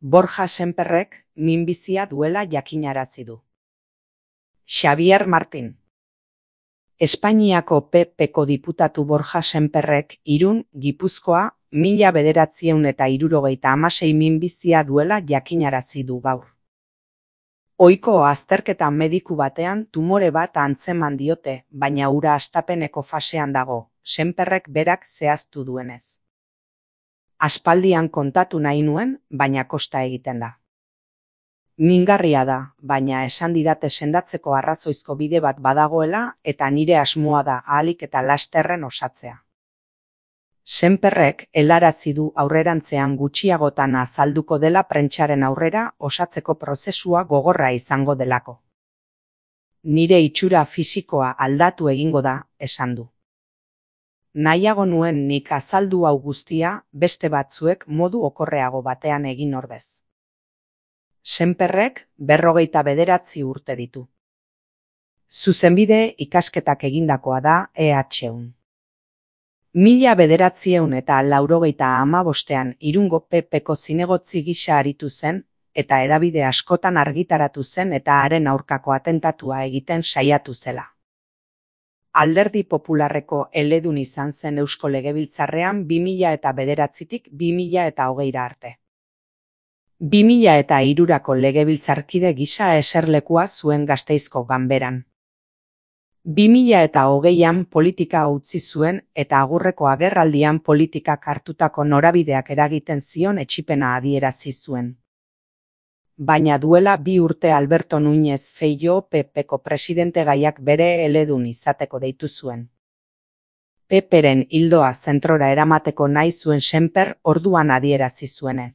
Borja Sémperrek minbizia duela jakinarazi du. Xabier Martin. Espainiako PP-ko diputatu Borja Sémperrek Irun, Gipuzkoa, 1976 minbizia duela jakinarazi du gaur. Ohiko azterketa mediku batean tumore bat antzeman diote, baina hura hastapeneko fasean dago, Sémperrek berak zehaztu duenez. Aspaldian kontatu nahi nuen, baina kosta egiten da. Mingarria da, baina esan didate sendatzeko arrazoizko bide bat badagoela eta nire asmoa da ahalik eta lasterren osatzea. Sémperrek helarazi du aurrerantzean gutxiagotan azalduko dela prentsaren aurrera osatzeko prozesua gogorra izango delako. Nire itxura fisikoa aldatu egingo da, esan du. Nahiago nuen nik azaldu hau guztia beste batzuek modu okorreago batean egin ordez. Sémperrek 59 urte ditu. Zuzenbide ikasketak egindakoa da EHUn. 1985 Irungo PP-ko zinegotzi gisa aritu zen, eta hedabide askotan argitaratu zen eta haren aurkako atentatua egiten saiatu zela. Alderdi Popularreko eledun izan zen Eusko Legebiltzarrean 2009tik 2020 arte. 2003ko legebiltzarkide gisa eserlekua zuen Gasteizko Ganberan. 2020an politika utzi zuen eta agurreko agerraldian politikak hartutako norabideak eragiten zion etsipena adierazi zuen. Baina duela 2 urte Alberto Núñez Feijóo PP-ko presidentegaiak bere eledun izateko deitu zuen. PP-ren ildoa zentrora eramateko nahi zuen Sémper orduan adierazi zuenez.